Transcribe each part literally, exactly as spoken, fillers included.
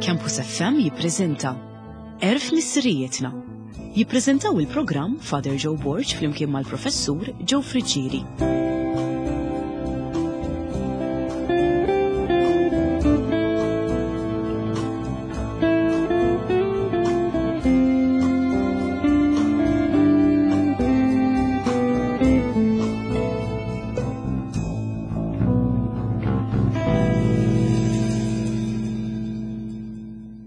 Campus F M jippreżenta Għerf Missirijietna. Jippreżentaw il-programm Father Joe Borg flimkien mal-Professur Joe Friggieri.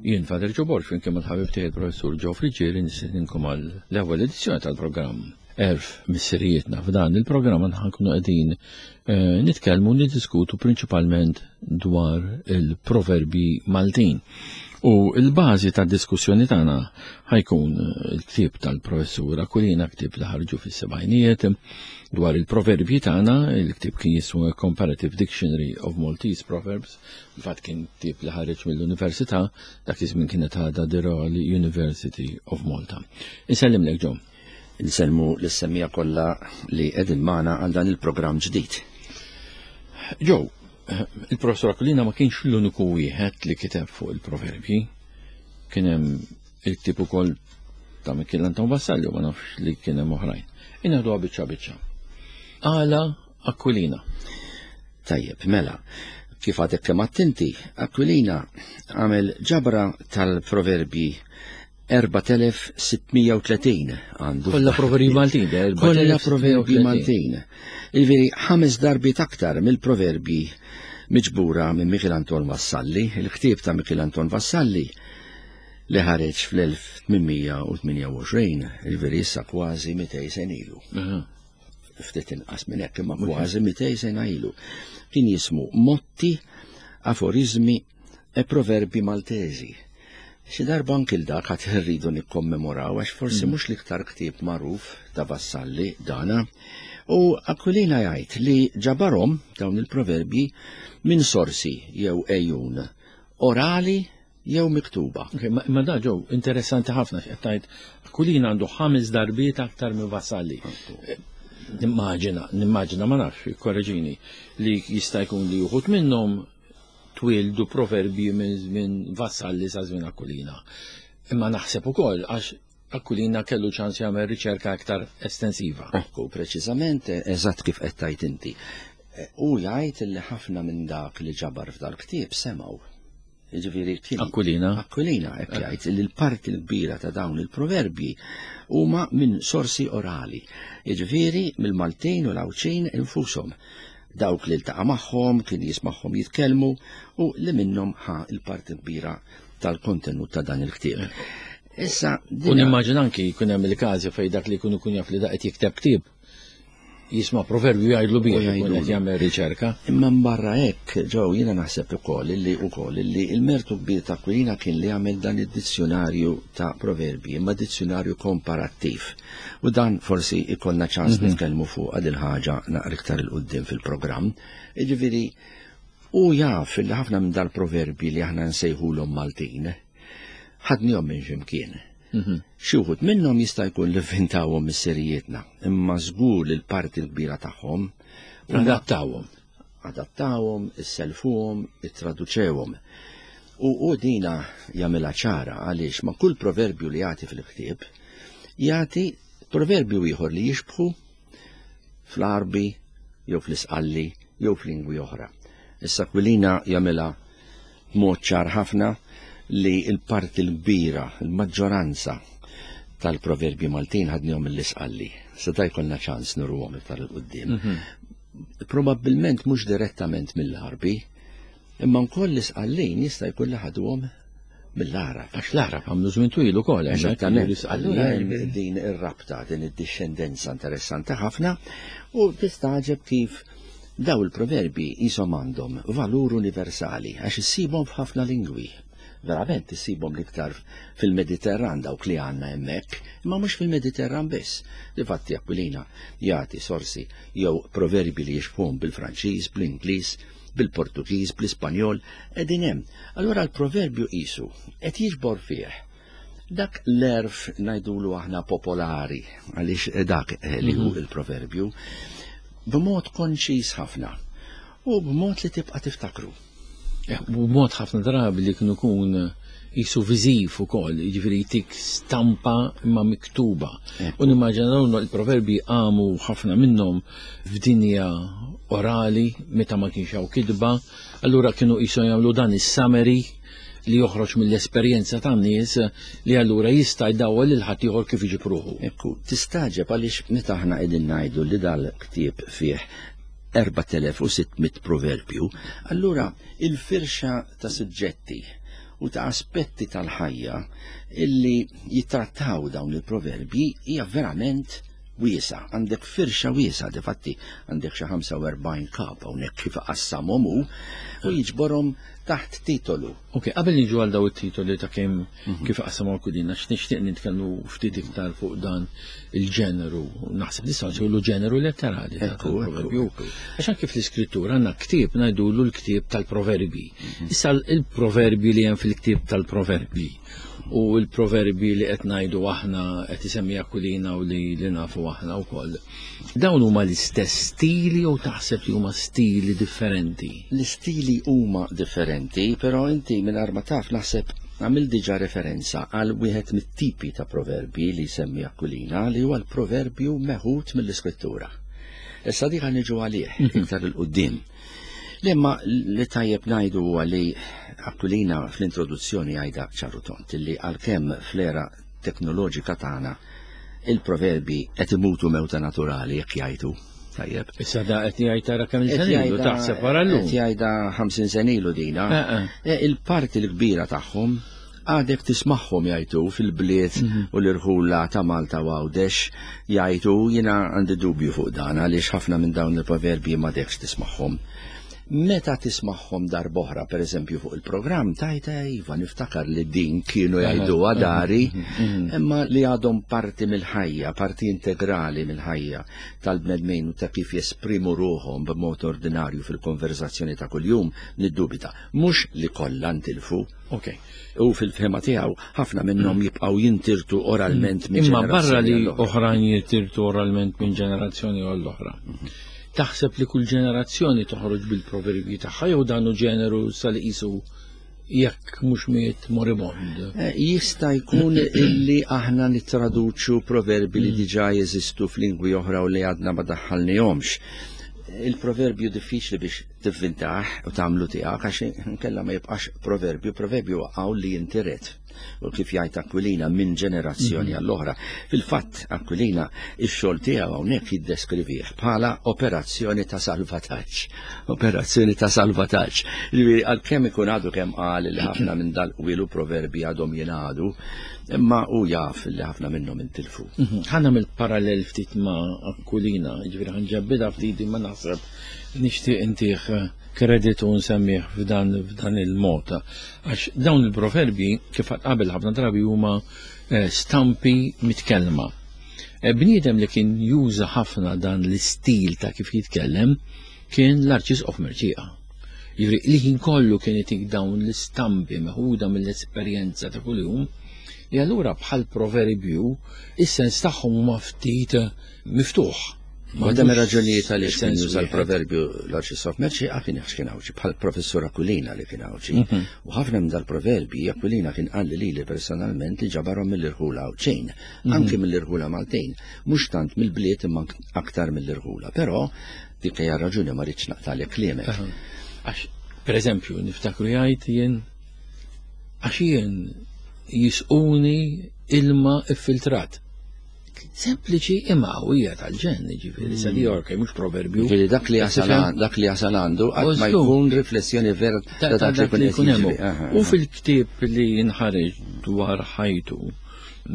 Jien Father Joe Borg flimkien mal-ħabib tiegħi il-Professur Joe Friggieri nistedinkom għal l-ewwel edizzjoni tal-programm Għerf Missirijietna. F'dan il-programm aħna nkunu qegħdin, eh, nitkellmu u niddiskutu prinċipalment dwar il-proverbi Maltin. U l-bażi tad-diskussjoni tagħna ħajkun il-ktieb tal-Professur Aquilina, ktieb li ħarġu fis-sebgħinijiet dwar il-proverbji tagħna. Il-ktieb kien jismu Comparative Dictionary of Maltese Proverbs, infatti kien ktieb li ħareġ mill-Università, dak iż-żmien kienet għadha the Royal University of Malta. Insellimlek Joe. Insellmu lis-semmija kollha li qegħdin magħna għal dan il-programm ġdid. Joe, il-Professur Aquilina ma kienx l-uniku wieħed li kiteb fuq il-proverbji. Kien hemm il-ktieb ukoll ta' Mikiel Anton Vassalli, ma nafx li kien hemm oħrajn. Inaħduha biċċa biċċa. Għala Aquilina. Tajjeb, mela, kif għadek kemm attenti, Aquilina għamel ġabra tal-proverbji erbat elef sittmija u tletin għandu. Kollha proverbji Maltin, de, erbat Kollha elef sittmija u proverbji tletin. Maltin. Jiġifieri ħames darbiet aktar mill-proverbji miġbura minn Mikiel Anton Vassalli, il-ktieb ta' Mikiel Anton Vassalli li ħareġ fl-elf tmienmija u tmienja u għoxrin, jiġifieri issa kważi mitej sena ilu. Aha. Ftit inqas minn hekk, imma Mhux kważi mitej sena ilu. Kien jismu Motti, Aforizmi e Proverbi Maltesi. Xi darba anki l-dak ħadd irridu nikkommemoraw għax forsi Mm. mhux l-iktar ktieb magħruf ta' Vassalli dana. U Aquilina jgħid li ġabarhom dawn il-proverbji minn sorsi jew ejjun orali jew miktuba. Ok, ma, ma da ġew interessanti ħafna x'qed tgħid. Aquilina għandu ħames darbiet aktar minn Vassalli. Għandu. Nimmaġina, nimmaġina ma nafx, korreġini, li jista' jkun li uħud minnhom twildu proverbji minn żmien Vassalli sa żmien Aquilina. Imma naħseb ukoll għax Aquilina kellu ċans jagħmel riċerka aktar estensiva. Ekku, preċiżament, eżatt kif qed tgħid inti. U jgħid li ħafna minn dak li ġabar f'dal-ktieb semgħu. Jiġifieri kien Aquilina. Aquilina hekk jgħid li l-parti l-kbira ta' dawn il-proverbji huma minn sorsi orali. Jiġifieri mill-Maltin u l-Għawdxin infushom. Dawk li ltaqa' magħhom, kien jismagħhom jitkellmu u li minnhom ħa l-parti kbira tal-kontenut ta' dan il-ktieb. Issa, U dina nimmaġina anki jkun hemm il-każi fejn dak li jkun ikun jaf li dak qed jikteb ktieb jisma' proverbju jgħidlu bih, U jkun jgħidulu. qed jagħmel riċerka. Imma mbarra hekk, Joe, jiena naħseb ukoll illi ukoll illi il-mertu kbir ta' Aquilina kien li għamel dan id-dizzjonarju ta' proverbji, imma dizzjonarju komparattiv. U dan forsi ikollna ċans Mhm. nitkellmu fuq għad il-ħaġa naqra iktar il quddiem fil-programm. Jiġifieri, u jaf li ħafna minn dal-proverbji li aħna nsejħulhom Maltin, ħadnihom minn x'imkien. Mhm. Xi wħud minnhom jista' jkun li vvintawhom missirijietna, imma żgur li l-parti l-kbira tagħhom huma Adattawhom. Adattawhom, isselfuhom, ittraduċewhom. U, u dina jagħmilha ċara għaliex ma' kull proverbju li jagħti fil-ktieb, jagħti proverbju ieħor li jixbħu fl-Għarbi jew fl-Isqalli jew f'lingwi oħra. Issa Aquilina jagħmilha b'mod ċar ħafna li l-parti l-kbira, l-maġġoranza tal-proverbji Maltin ħadnihom mill-Isqalli. Se da jkollna ċans nurruhom iktar 'il quddiem. Mhm. Probabbilment mhux direttament mill-Għarbi, imma wkoll l-Isqallin jista' jkun li ħaduhom mill-Għarab. Għax l-Għarab għamlu żmien twil ukoll, hemmhekk Eżattament. l-Isqallin. Allura hemm din ir-rabta, din id-dixxendenza interessanti ħafna u tistaġeb kif daw il-proverbi jisom għandhom valur universali għax issibhom f'ħafna lingwi. Verament issibhom l-iktar fil-Mediterran dawk li għandna hemmhekk, imma mhux fil-Mediterran biss. Difatti Aquilina jagħti sorsi jew proverbi li jixbhom bil-Franċiż, bl-Ingliż, bil-Portugiż, bl-Ispanjol, qegħdin hemm. Allura l-proverbju qisu qed jiġbor fih dak l-erf ngħidulu aħna popolari, għaliex dak li hu Mhm. il-proverbju, b'mod konċis ħafna u b'mod li tibqa' tiftakru. U mod ħafna drabi li kienu kun jisu viżiv ukoll, jiġifieri jtik stampa imma miktuba. U nimmaġina dawn il-proverbi għamu ħafna minnhom f'dinja orali meta ma kienx hawn kitba, allura kienu jisu jagħmlu dan is-summary li joħroġ mill-esperjenza tan-nies li allura jista' jdawwal lil ħaddieħor kif iġib ruħu. Ekku, tistaġeb għaliex meta aħna qegħdin ngħidu li dal-ktieb fih erbat elef u sitt mitt proverbju, allura il-firxa ta' suġġetti u ta' aspetti tal-ħajja illi jittrattaw dawn il-proverbji hija verament wiesa. Għandek firxa wiesa, difatti għandek xi ħamsa u erbgħin kap hawnhekk kif qassamhom hu u jiġborhom taħt titolu. Ok, qabel niġu għal daw it-titoli ta' kemm kif qassamhom Aquilina, għax nixtieq nitkellmu ftit iktar fuq dan il-ġeneru, naħseb nistgħu nsejħulu ġeneru letterali ta' Ekku, tal-proverbju. ekku, ekku. Għax anke fl-iskrittura għandna ktieb ngħidulu l-ktieb tal-proverbi. Issa il-proverbi li hemm fil-ktieb tal-proverbi u l-proverbi li qed ngħidu aħna qed isemmi Aquilina u li, li nafu aħna wkoll. Dawn huma l-istess stili jew taħseb li huma stili differenti? L-istili huma differenti, però inti mingħajr ma taf naħseb għamil diġà referenza għal wieħed mit-tipi ta' proverbi li jsemmi Aquilina li huwa l-proverbju meħud mill-iskrittura. Issa dik niġu għalih iktar il-qudiem. Lemma li tajjeb ngħidu huwa li Aquilina fl-introduzzjoni għajda ċaru tont li għalkemm fl-era teknoloġika tagħna il-proverbi qed imutu mewta naturali jekk jgħidu. Tajjeb. Issa da qed jgħid tara kemm Qed il-senilu jgħidha- taħseb wara llum. Qed jgħidha ħamsin senilu dina. Eh, eh. Eh, il-parti l-kbira tagħhom għadek tismagħhom jgħidu fil-bliet u l-irħula ta' Malta u Għawdex jgħidu, jiena għandi dubju fuq dan għaliex ħafna minn dawn il-proverbi ma dekx tismagħhom. Meta tismagħhom darb'oħra, per eżempju fuq il-programm, tajta iva niftakar li din kienu jgħidu għadari, imma li għadhom parti mill-ħajja, parti integrali mill-ħajja tal-bnedmin u ta' kif jesprimu ruħhom b'mod ordinarju fil-konverzazzjoni ta' kuljum, niddubita. Mhux li kollha ntilfu. Ok. U fil-fehma tiegħu ħafna minnhom jibqgħu jintirtu oralment minn Imma barra li ġenerazzjoni għall-oħra. oħrajn jintirtu oralment minn ġenerazzjoni għall-oħra. Taħseb li kull ġenerazzjoni toħroġ bil-proverbji tagħha jew dan hu ġeneru sal-qisu jekk mhux miet moribond? Eh, jista' jkun illi aħna nittraduċu proverbi li diġà jeżistu f'lingwi oħra u li għadna ma daħħalnihomx. Il-proverbju diffiċli biex tivvintah u tagħmlu tiegħek għax inkella ma jibqax proverbju, proverbju għaw li jintiret. U kif jgħid Aquilina minn ġenerazzjoni għall-oħra. Fil-fatt Aquilina ix-xogħol tiegħu hawnhekk jiddeskrivih bħala operazzjoni ta' salvataġġ. Operazzjoni ta' salvataġġ. Ġifieri għalkemm ikun għadu kemm qal li ħafna minn dal-qwielu proverbi għadhom jingħadu, imma hu jaf li ħafna minnhom intilfu. Mhm. Ħa nagħmel parallel ftit ma' Aquilina, ġifieri ħanġabbidha ftit imma naħseb nixtieq intih kreditu nsemmih f'dan, f'dan il-mod. Għax dawn il-proverbi kif qabel ħafna drabi huma, eh, stampi mitkellma. Eh, bniedem li kien juża ħafna dan l-istil ta' kif jitkellem kien l-Arċisqof Mercieca. Jiġifieri li ħin kollu kien itik dawn l-istampi meħuda mill-esperjenza ta' kuljum, li allura bħal proverbju is-sens tagħhom huma ftit miftuħ. Waħda mir-raġunijiet għaliex kien Sens juża wieħed. l-proverbju l-Arċisqof Mercieca kien għax kien Għawdxi, bħal professur Aquilina li kien Għawdxi. Mhm. U ħafna minn dal-proverbi Aquilina kien qal li lili personalment li ġabarhom mill-irħula Għawdxin, Mhm. anke mill-irħula Maltin, mhux tant mill-bliet imma aktar mill-irħula. Però dik hija raġuni ma rridx naqtalek kliemek. Aha. Għax, per eżempju, niftakru jgħid jien għax jien jisquni ilma iffiltrat. Sempliċi imma qawwija tal-ġenn, ġifieri, sa di orka, mhux proverbju. Ġifieri dak li jasal Tifhem? għan-, dak li jasal għandu qatt ma Użlu. jkun riflessjoni vera Ta' ta' ta' dak li dak li jkun jkun qed hemm. jiġri. Aha, U aha. fil-ktieb li nħareġ dwar ħajtu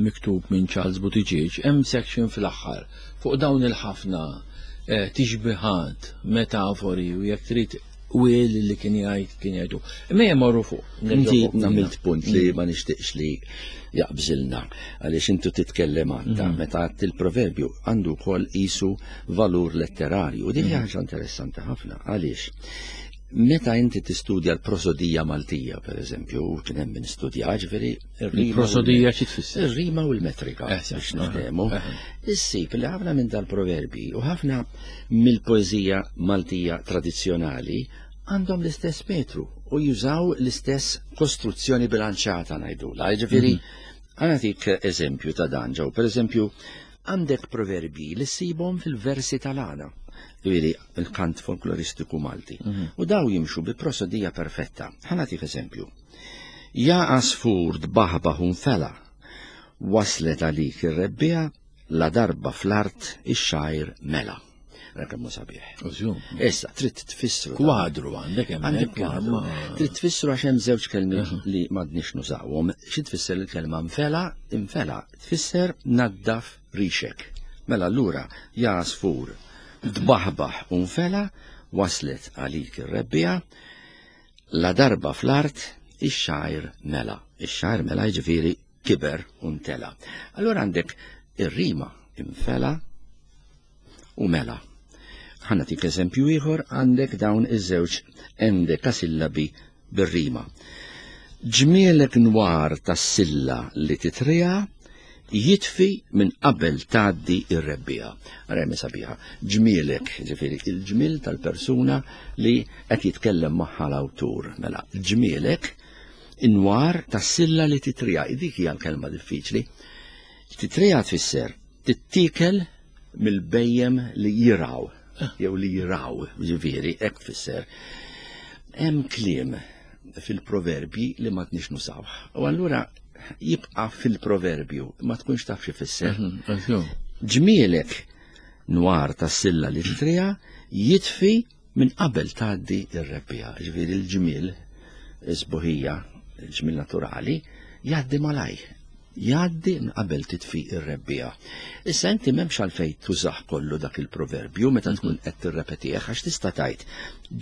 miktub minn Charles Buttigieg, hemm section fl-aħħar fuq dawn il-ħafna, eh, tixbihat, metafori u jekk trid wil li kien jgħid kien jgħidu. Imma jmorru fuq. Nerġgħu Inti fuq dina. għamilt punt li ma nixtieqx li jaqbżilna għaliex intu titkellem għandha Mm. meta għadt il-proverbju għandu wkoll qisu valur letterarju. U din hija Mm. ħaġa interessanti ħafna għaliex meta inti tistudja l-prosodija Maltija, per eżempju, u kien hemm min studja, ġifieri ir-rima u Il-prosodija xi tfisser? Ir-rima u l-metrika, Eh, sì, biex eh, niftehmu. eh. Issib li ħafna minn dal-proverbi u ħafna mill-poeżija Maltija tradizzjonali Għandhom l-istess metru u jużaw l-istess kostruzzjoni bilanċata ngħidula. Ġifieri, ħa nagħtik eżempju ta' dan ġew. Per eżempju, għandek proverbi li ssibhom fil-versi tal-għana. Ġifieri, il-kant folkloristiku Malti. U daw jimxu bi prosodija perfetta. Ħa nagħtik eżempju. Ja għasfur tbaħbaħ u nfela, waslet għalik ir-rebbiegħa, la darba fl-art ix-xgħir mela. Kemm hu sabiħ. Issa, trid tfissru. Kwadru għandek hemm. Għandek kwadru. Trid tfissru għax hemm żewġ kelmiet li m'għadniex nużawhom. Xi tfisser il-kelma nfela? Infela tfisser naddaf rixek. Mela allura ja għasfur tbaħbaħ u nfela, waslet għalik ir-rebbiegħa, la darba fl-art ix-xgħir mela. Ix-xgħir mela jiġifieri kiber u ntela. Allura għandek ir-rima infela u mela. Ħa nagħtik eżempju ieħor, għandek dawn iż-żewġ endekasillabi bir-rima. Ġmielek nwar tas-silla li titrija jitfi minn qabel tgħaddi ir-rebbiegħa. Remi sabiħa. Ġmielek, ġifieri il-ġmiel tal-persuna li qed jitkellem magħha l-awtur. Mela, ġmielek inwar tas-silla li titrija. Dik hija l-kelma diffiċli. Titrija tfisser tittiekel mill-bhejjem li jiraw, jew li jiraw, ġifieri, hekk tfisser. Hemm kliem fil-proverbji li ma tnix nużawh. U allura jibqa' fil-proverbju, ma tkunx taf xi fisser. Ġmielek nwar tas-silla li titrija jitfi minn qabel tgħaddi ir-rebbiegħa. Ġifieri l-ġmiel, is-sbuħija, il-ġmiel naturali, jgħaddi malaj. Jgħaddi minn qabel titfi ir-rebbiegħa. Issa inti m'hemmx għalfejn tużah kollu dak il-proverbju meta tkun qed tirrepetih, għax tista' tgħid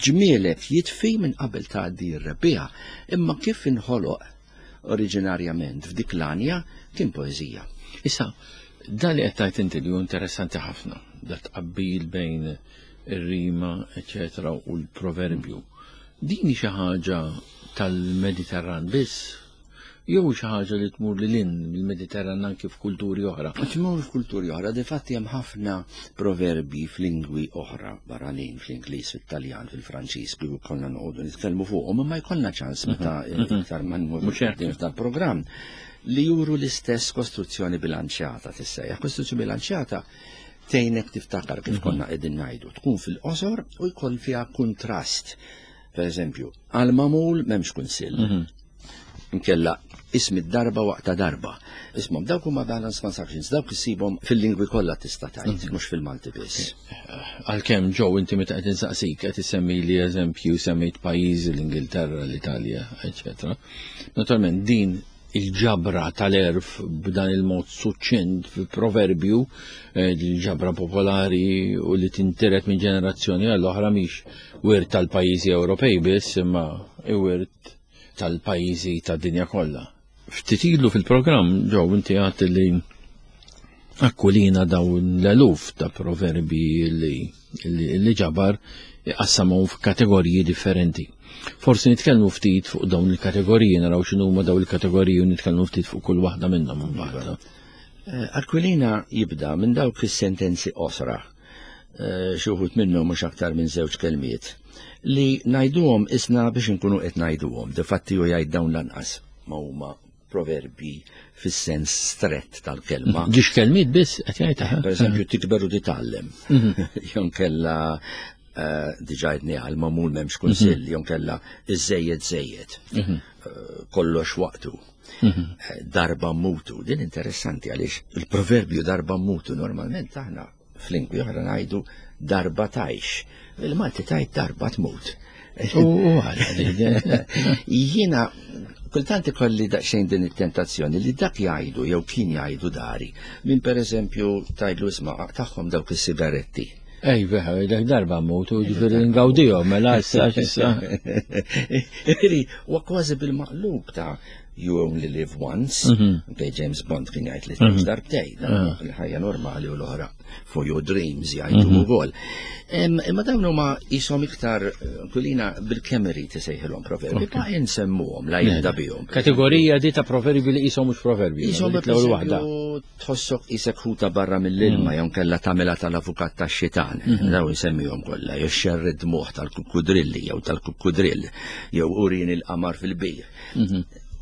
ġmielek jitfi minn qabel tgħaddi r-rebbiegħa, imma kif inħoloq oriġinarjament f'dik l-għanja kien poeżija. Issa, dan li qed tgħid inti li hu interessanti ħafna, da tqabbil bejn ir-rima, eċetera, u l-proverbju. Din xi ħaġa tal-Mediterran biss, jew xi ħaġa li tmur lil hinn mill-Mediterran anki f'kulturi oħra? Tmur f'kulturi oħra, difatti hemm ħafna proverbi f'lingwi oħra barranin, fl-Ingliż, fit-Taljan, fil-Franċiż, kieku konna noqogħdu nitkellmu fuqhom, imma jkollna ċans meta iktar ma nmorru f'dal-programm li juru l-istess kostruzzjoni bilanċjata tissejjaħ. Kostruzzjoni bilanċjata tgħinek tiftakar kif konna qegħdin ngħidu, tkun fil-qosor u jkoll fiha kuntrast. Per eżempju, għal mamul m'hemmx kunsill. Inkella ismi darba waqta darba. Ismhom dawk huma balance constructions, dawk issibhom fil-lingwi kollha tista' tgħid, mhux fil-Malti biss. Għalkemm ġew inti meta qed insaqsik qed issemmi li eżempju semmejt pajjiżi l-Ingilterra, l-Italja, eċetera. Naturalment din il-ġabra tal-għerf b'dan il-mod suċċint fil-proverbju, il-ġabra popolari u li tintiret minn ġenerazzjoni għall-oħra mhix wirt tal-pajjiżi Ewropej biss, imma wirt tal-pajjiżi tad-dinja kollha. Ftit ilu fil-programm ġew inti għedt li Aquilina dawn l-eluf ta' proverbi li, li, li ġabar iqassamhom f'kategoriji differenti. Forsi nitkellmu ftit fuq dawn il-kategoriji, naraw x'inhuma dawn il-kategoriji u nitkellmu ftit fuq kull waħda minnhom imbagħad. Aquilina jibda minn dawk is-sentenzi qosra, xi wħud minnhom mhux aktar minn żewġ kelmiet, li ngħiduhom isna biex inkunu qed ngħiduhom, difatti hu jgħid dawn lanqas ma huma proverbi fis-sens strett tal-kelma. Ġiex kelmiet biss qed jgħid, aha. Per eżempju, tikber u titgħallem. Jew kella diġà għedni għal mamul m'hemmx kunsill, jew kella iż-żejjed żejjed. Kollox waqtu. Darba mutu. Din interessanti għaliex il-proverbju darba mutu normalment aħna f'lingwi oħra ngħidu darba tgħix. Il-Malti tgħid darba tmut. U għala. Jiena kultant ikolli daqsxejn din it-tentazzjoni li dak jgħidu jew kien jgħidu dari. Min per eżempju tgħidlu isma' tagħhom dawk is-sigaretti. Ej, veħa, dak darba mutu, ġifieri ngawdihom, mela issa, issa. Ġifieri, huwa kważi bil-maqlub ta' You only live once, okay, James Bond kien jgħid li tgħix darbtejn, il-ħajja normali u l-oħra for your dreams jgħidu wkoll. Imma dawn huma qishom iktar kulina bil-kemm irid isejħilhom proverbi, ma insemmuhom la jibda bihom. Kategorija di ta' proverbi li qishom mhux proverbi. Qishom l-ewwel waħda. Tħossok qisek ħuta barra mill-ilma jew kella tagħmilha tal-avukat tax-xitan. Daw insemmihom kollha, jew xerrid moħħ tal-kukkudrilli jew tal-kukkudrill jew urin il-qamar fil-bir.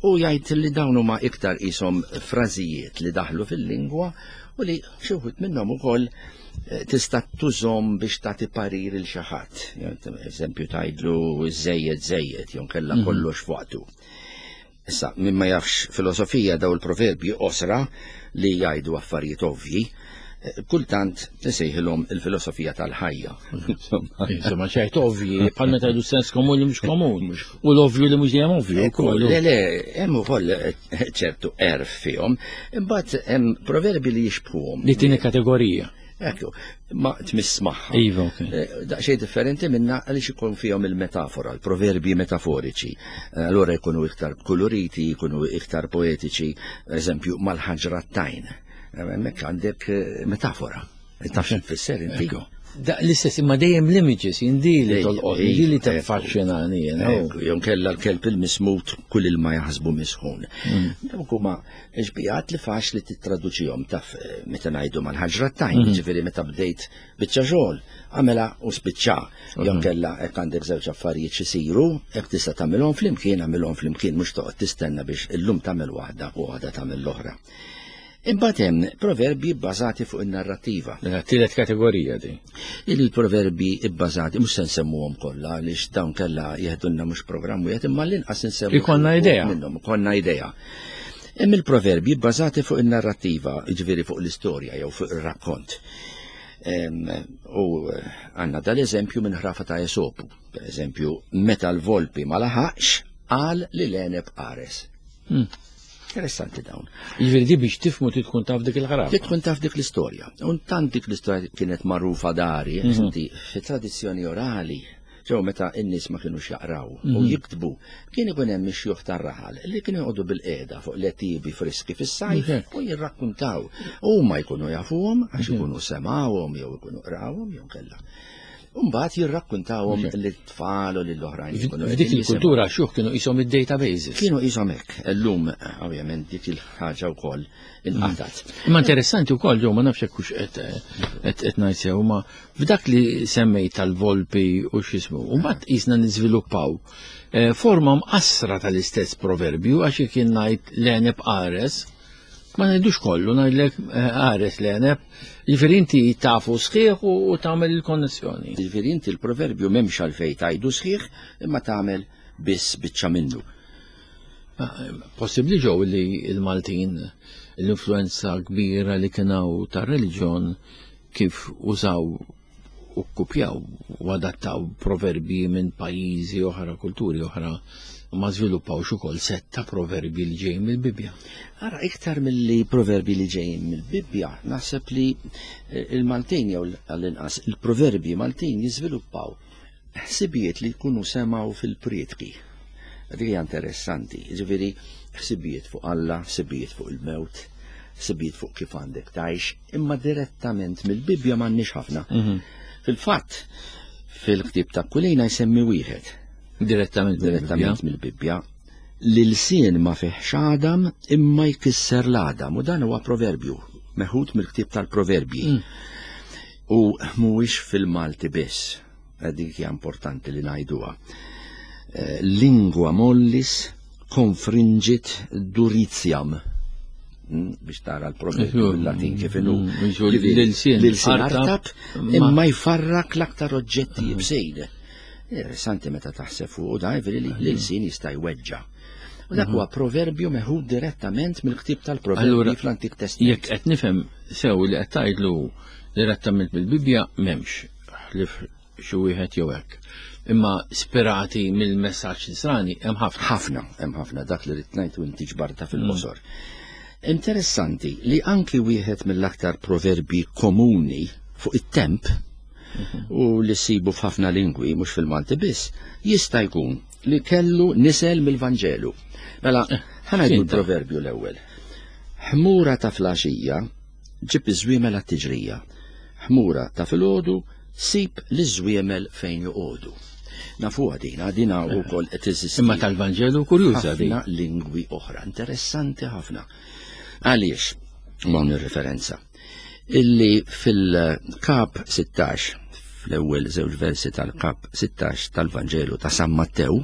U jgħid li dawn huma iktar qishom frażijiet li daħlu fil-lingwa u li xi wħud minnhom ukoll tista' tużhom biex tagħti parir il xi ħadd. Eżempju tgħidlu żejjed żejjed jew kellha kollox fuqtu. Issa, min ma jafx filosofija daw il-proverbji qosra li jgħidu affarijiet ovvji, kultant tisejħilhom il-filosofija tal-ħajja. Insomma, xejn ovvji, bħal meta jgħidu sens komun li mhux komun. U l-ovvju li mhux dejjem ovvju wkoll. Le, le, hemm ukoll ċertu għerf fihom, imbagħad hemm proverbi li jixbħuhom. Li tieni kategorija. Ekku, ma tmiss magħha. Iva, ok. Daqsxejn differenti minna għaliex ikun fihom il-metafora, il-proverbi metaforiċi. Allora jkunu iktar koloriti, jkunu iktar poetiċi, eżempju, mal-ħaġra tajn. Hemmhekk għandek metafora. Taf x'tfisser inti? Da l-istess imma dejjem l-images, indi li tolqot, indi li taffaxxinani. Jew kella l-kelb il-mismut kull ilma jaħsbu misħun. Dawk huma xbijat li faċli tittraduċihom taf meta ngħidu mal-ħaġra tajn, ġifieri meta bdejt biċċa xogħol, għamela u spiċċa. Jew kella hekk għandek żewġ affarijiet xisiru, hekk tista' tagħmilhom flimkien, għamilhom flimkien mhux toqgħod tistenna biex illum tagħmel waħda u għada tagħmel l-oħra. Imbagħad hemm proverbi bbażati fuq in-narrattiva. Tielet kategorija di. Il-proverbi bbażati mhux se nsemmuhom kollha għaliex dawn kellha jeħdulna mhux programm wieħed imma l-inqas insemmu. Ikollna idea. Minnhom ikollna idea. Hemm il-proverbi bbażati fuq in-narrattiva, jiġifieri fuq l-istorja jew fuq ir-rakkont. U għandna dal-eżempju minn ħrafa ta' Esopu. Per eżempju, meta l-volpi ma laħaqx qal li l-għeneb qares. Interessanti dawn. Jiġifieri di biex tifmu trid tkun taf dik il-ħrafa. Trid tkun taf dik l-istorja. U tant dik l-istorja kienet magħrufa dari, inti fi tradizzjoni orali, ġew meta n-nies ma kinux jaqraw u jiktbu, kien ikun hemm ix-xjuħ tar-raħal li kienu joqogħdu bil-qiegħda fuq l-għetiebi friski fis-sajf u jirrakkuntaw. Huma jkunu jafuhom għax ikunu semawhom jew ikunu qrawhom jew kellha. Mbagħad jirrakkuntawhom lit-tfal u lill-oħrajn. F'dik il-kultura xjuħ kienu qishom id-databases. Kienu qishom hekk. Illum ovvjament dik il-ħaġa wkoll inqatat. Imma interessanti wkoll ġew ma nafx hekk hux qed qed ngħid sew, ma f'dak li semmejt tal-volpi u x'ismu, u mbagħad qisna niżviluppaw forma mqassra tal-istess proverbju għax jekk jien ngħid l-għeneb qares, ma ngħidux kollu, ngħidlek qares l-għeneb, jiġifieri inti tafu sħiħ u tagħmel il-konnessjoni. Jiġifieri inti l-proverbju m'hemmx għalfejn tgħidu sħiħ, imma tagħmel biss biċċa minnu. Possibbli ġew li l-Maltin l-influenza kbira li kien hawn tar-reliġjon kif użaw u kkupjaw u adattaw proverbi minn pajjiżi oħra, kulturi oħra, ma żviluppawx ukoll sett ta' proverbi li ġejjin mill-Bibbja. Ara, iktar milli proverbi li ġejjin mill-Bibbja, naħseb li il-Maltin jew għall-inqas il-proverbi Maltin jiżviluppaw ħsibijiet li jkunu semgħu fil-prietki. Dik hija interessanti, jiġifieri ħsibijiet fuq Alla, ħsibijiet fuq il-mewt, ħsibijiet fuq kif għandek tgħix, imma direttament mill-Bibbja m'għandniex ħafna. Fil-fatt, fil-ktieb ta' Kulejna jsemmi wieħed. Direttament Direttament mill-Bibbja. L-ilsien ma fih x'għadam imma jkisser l-għadam, u dan huwa proverbju meħud mill-ktieb tal-proverbji. U mhuwiex fil-Malti biss, dik hija importanti li ngħiduha. Lingua mollis confringit duritiam. Biex tara l-proverbju bil-Latin kif inhu. L-ilsien L-ilsien artab imma jfarrak l-aktar oġġetti bsejn. Interessanti meta taħseb fuq da, jiġifieri li l-ilsien jista' jweġġa'. U dak huwa proverbju meħud direttament mill-ktieb tal-proverbji fl-Antik Testament. Jekk qed nifhem sew li qed tgħidlu direttament mill-Bibbja m'hemmx ħlief xi wieħed jew hekk. Imma spirati mill-messaġġ nisrani hemm ħafna. Ħafna, hemm ħafna dak li rid ngħid u inti ġbarta fil-qosor. Interessanti li anki wieħed mill-aktar proverbi komuni fuq it-temp u li ssibu f'ħafna lingwi mhux fil-Malti biss, jista' jkun li kellu nisel mill-Vanġelu. Mela, ħa ngħidu l-proverbju l-ewwel. Ħmura ta' flaxija ġib iż-żwiemel għat-tiġrija. Ħmura ta' filgħodu sib l-żwiemel fejn joqogħdu. Nafuha dina, dina wkoll qed teżisti. Imma tal-Vanġelu kurjuża din. Ħafna lingwi oħra, interessanti ħafna. Għaliex, hawn ir-referenza, illi fil-kap sittax, fl-ewwel żewġ versi tal-kap sittax tal-Vanġelu ta' San Mattew,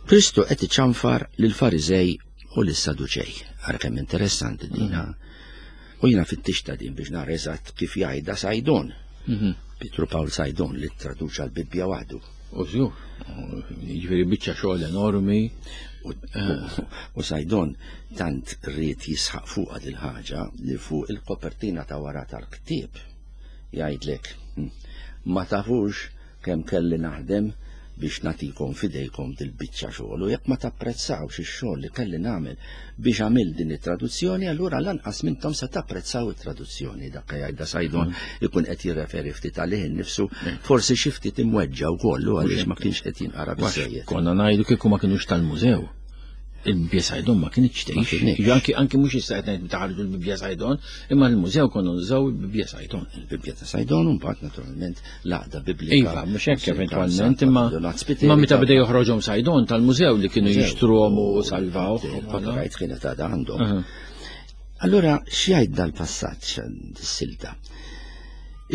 Kristu qed iċanfar lill-Fariżej u lis-Saduċej. Ara kemm interessanti dina. U jiena fittixta din biex nara eżatt kif jgħidha Saydon. Pietru Pawl Saydon li traduċa l-Bibbja waħdu. U żgur, jiġifieri biċċa xogħol enormi. U Saydon tant ried jisħaq fuqha dil-ħaġa li fuq il-kopertina ta' wara tal-ktieb jgħidlek, ma tafux kemm kelli naħdem biex nagħtikom fidejkom dil-biċċa xogħol, u jekk ma tapprezzawx ix-xogħol li kelli nagħmel biex għamil din it-traduzzjoni, allura lanqas mintom se tapprezzaw it-traduzzjoni. Dak jgħidha Saydon ikun qed jirreferi ftit għalih innifsu, forsi xi ftit imweġġa wkoll għaliex ma kienx qed jinqara biżejjed. Konna ngħidu kieku ma kinux tal-mużew. Il-Bibbja Saydon ma kienx tgħix. Anki anki mhux issa qed ngħid taħarġu l-Bibbja Saydon, imma l-mużew konna nużaw il-Bibbja Saydon. Il-Bibbja ta' Saydon u mbagħad naturalment l-għaqda Biblika. Iva, mhux hekk eventwalment, imma imma meta beda joħroġhom Saydon tal-mużew li kienu jixtruhom u salvaw. Copyright kienet għadha għandhom. Allura x'jgħid dal-passaġġ dis-silta?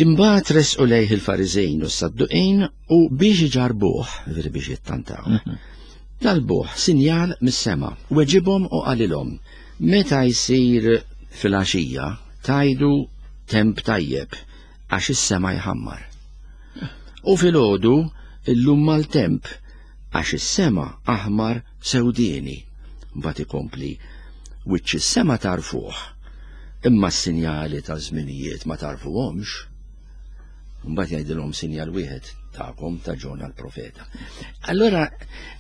Imbagħad resqu lejh il-Fariżejn u s-Sadduqin u biex iġarbuh, veri biex jittantaw. Talbuh sinjal mis-sema, weġibhom u qalilhom, meta jsir fil-għaxija tajdu temp tajjeb għax is-sema jħammar. U filgħodu illum mal-temp għax is-sema aħmar sewdieni. Mbagħad ikompli, wiċċ is-sema tarfuh, imma s-sinjali ta' żminijiet ma tarfuhomx. Mbagħad jgħidilhom sinjal wieħed tagħkom ta' Ġona l-profeta. Allora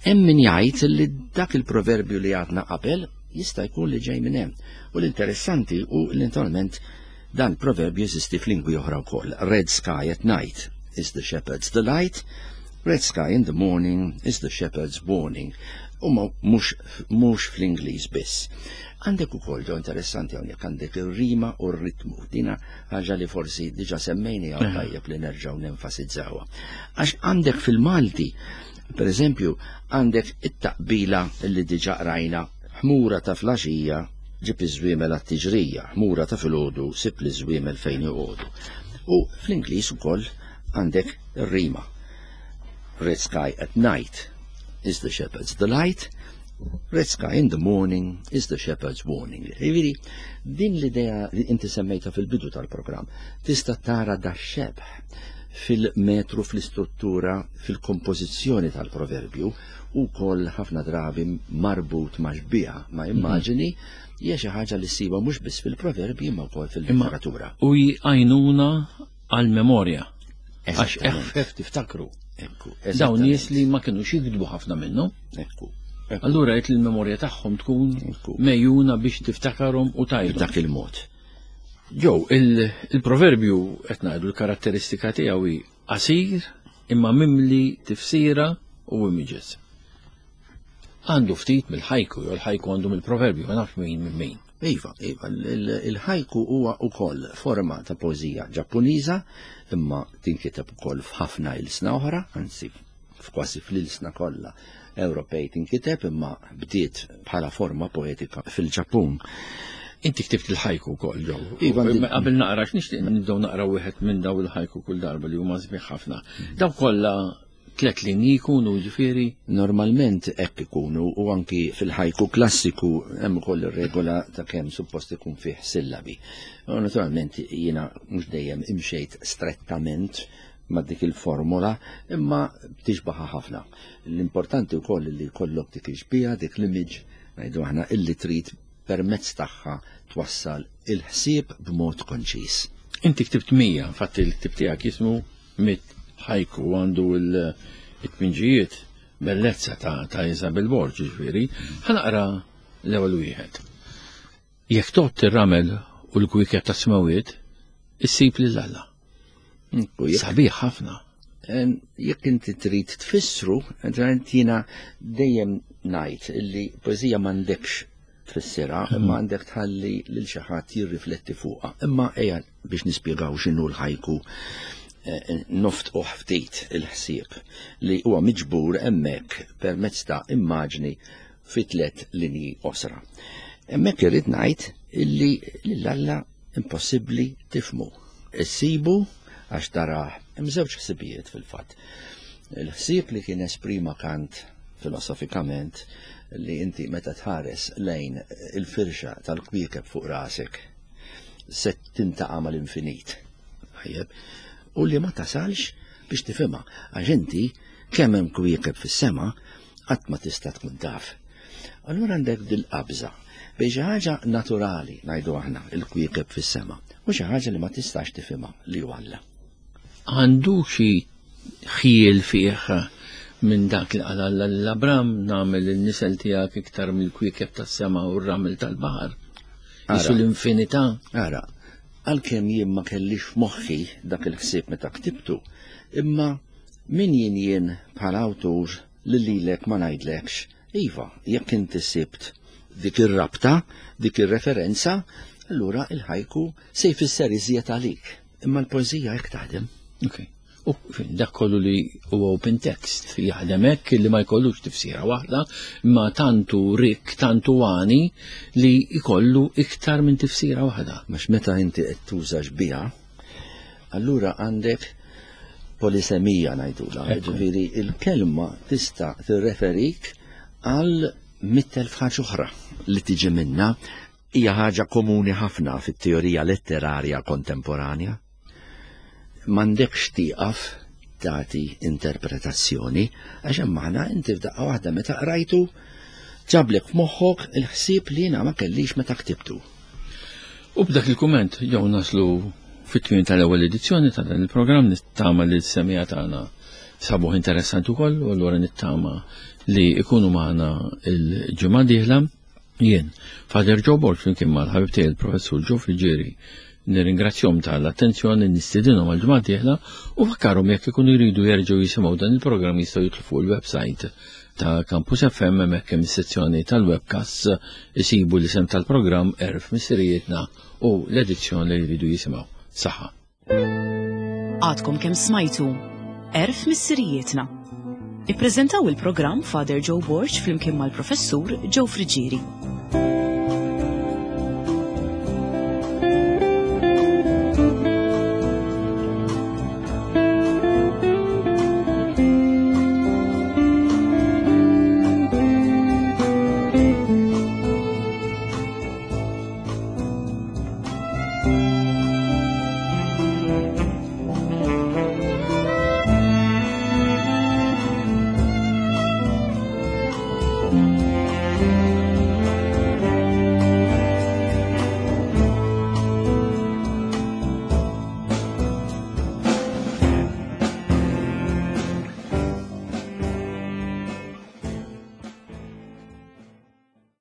hemm min jgħid li dak il-proverbju li għadna qabel jista' jkun li ġej minn hemm. U l-interessanti hu li naturalment dan il-proverbju jeżisti f'lingwi oħra wkoll. Red sky at night is the shepherd's delight, red sky in the morning is the shepherd's warning. U mhux mhux fl-Ingliż biss. Għandek ukoll ġo interessanti hawnhekk għandek ir-rima u r-ritmu. Dina ħaġa li forsi diġà semmejni hawn tajjeb li nerġgħu nenfasizzawha. Għax għandek fil-Malti, per eżempju, għandek it-taqbila li diġà qrajna, ħmura ta' flaxija ġib iż-żwiemel għat-tiġrija, ħmura ta' filgħodu sib l-żwiemel fejn joqogħdu. U fl-Ingliż ukoll għandek ir-rima. Red sky at night is the shepherd's delight, red sky in the morning is the shepherd's warning. Jiġifieri, din l-idea li inti semmejta fil-bidu tal-programm, tista' tara da xebh fil-metru, fl-istruttura, fil-kompożizzjoni tal-proverbju, u koll ħafna drabi marbut ma' xbieha, ma' immaġini, hija xi ħaġa li ssiba mhux biss fil-proverbji imma wkoll fil-letteratura. U jgħinuna għal-memorja. Għax eħfef tiftakru. Ekku, Dawn nies li ma kinux jiktbu ħafna minnhom. Ekku. Allura qed il-memorja tagħhom tkun Ekku. mejjuna biex tiftakarhom u tajdu. B'dak il-mod. Ġew, il-proverbju qed ngħidu l-karatteristika tiegħu hi qasir imma mimli tifsira u images. Għandu ftit mill-ħajku, jew l-ħajku għandu mill-proverbju, ma nafx min minn min. Iva, iva, il-ħajku huwa wkoll forma ta' poeżija Ġappuniża, imma tinkiteb ukoll f'ħafna ilsna oħra, anzi f'kważi fl-ilsna kollha Ewropej tinkiteb, imma bdiet bħala forma poetika fil-Ġappun. Inti ktibt il-ħajku wkoll, ġew. Iva, Imma qabel naqra, x'nixtieq nibdew naqra wieħed minn daw il-ħajku kull darba li huma sbieħ ħafna. Daw kollha tliet linji jkunu ġifieri? Normalment hekk ikunu, u anki fil-ħajku klassiku hemm ukoll ir-regola ta' kemm suppost ikun fih sillabi. U naturalment jiena mhux dejjem imxejt strettament ma' dik il-formula, imma tixbaħa ħafna. L-importanti wkoll li jkollok dik ix-xbieha, dik l-image, ngħidu aħna illi trid permezz tagħha twassal il-ħsieb b'mod konċis. Inti ktibt mija, infatti l-ktib tiegħek jismu mit ħajku għandu il-tminġijiet bellezza ta', ta' Isabel Borg, ġifieri. Ħa naqra l-ewwel wieħed. Jekk tgħodd ir-ramel u l-kwiekeb tas-smawiet, issib lil Alla. Ekku, jekk Sabiħ ħafna. Jekk inti trid tfissru, naturalment jiena dejjem ngħid illi poeżija m'għandekx tfissirha, imma għandek tħalli lil xi ħadd jirrifletti fuqha. Imma ejja biex nispjegaw x'inhu l-ħajku, noftqu ftit il-ħsieb li huwa miġbur hemmhekk permezz ta' immaġni fi tliet linji qosra. Hemmhekk irrid ngħid illi lil Alla impossibbli tifhmu. Issibu għax tarah hemm żewġ ħsibijiet fil-fatt. Il-ħsieb li kien esprima Kant filosofikament, li inti meta tħares lejn il-firxa tal-kwiekeb fuq rasek se tintaqa' mal-infinit. Tajjeb. U li ma tasalx biex tifhimha, għax inti kemm hemm kwiekeb fis-sema qatt ma tista' tkun taf. Allura għandek dil-qabża bejn xi ħaġa naturali, ngħidu aħna, il-kwiekeb fis-sema, u xi ħaġa li ma tistax tifhimha li hu Alla. Għandu xi ħjiel fih minn dak li qal Alla lil Abram, nagħmel in-nisel tiegħek iktar mill-kwiekeb tas-sema u r-ramel tal-baħar. Jisu l-infinità. Ara, għalkemm jien ma kellix f'moħħi dak il-ħsieb meta ktibtu, imma min jien jien bħala awtur li lilek ma ngħidlekx, iva, jekk inti sibt dik ir-rabta, dik ir-referenza, allura il-ħajku se jfisser iżjed għalik. Imma l-poeżija hekk taħdem. Ok. U fin, dak kollu li huwa open text jaħdem hekk li ma jkollux tifsira waħda, imma tantu rik, tantu għani li jkollu iktar minn tifsira waħda. Għax meta inti qed tuża xbieha, allura għandek polisemija ngħidulha. Ekku. Ġifieri il-kelma tista' tirreferik għal mitt elf ħaġa oħra li tiġi minna. Hija ħaġa komuni ħafna fit-teorija letterarja kontemporanja. M'għandekx tieqaf tagħti interpretazzjoni, għax hemm aħna inti f'daqqa waħda meta qrajtu ġablek f'moħħok il-ħsieb li jiena ma kellix meta ktibtu. U b'dak il-kumment jew naslu fit-tmiem tal-ewwel edizzjoni ta' dan il-programm, nittama li s-semija tagħna sabuh interessanti wkoll, u allura nittama li ikunu magħna il-ġimgħa dieħla. Jien, Father Joe Borg, flimkien mal-ħabib tiegħi il-Professur Joe Friggieri, nirringrazzjahom tal-attenzjoni, nistedinhom għal-ġimgħa dieħla u fakkarhom jekk ikunu jridu jerġgħu jisimgħu dan il-programm jistgħu jidħlu fuq il-website ta' Campus F M, hemmhekk hemm is-sezzjoni tal-webcast, isibu l-isem tal-programm Għerf Missirijietna u l-edizzjoni li jridu jisimgħu. Saħħa. Għadkom kemm smajtu Għerf Missirijietna. Ippreżentaw il-programm Father Joe Borg flimkien mal-Professur Joe Friggieri.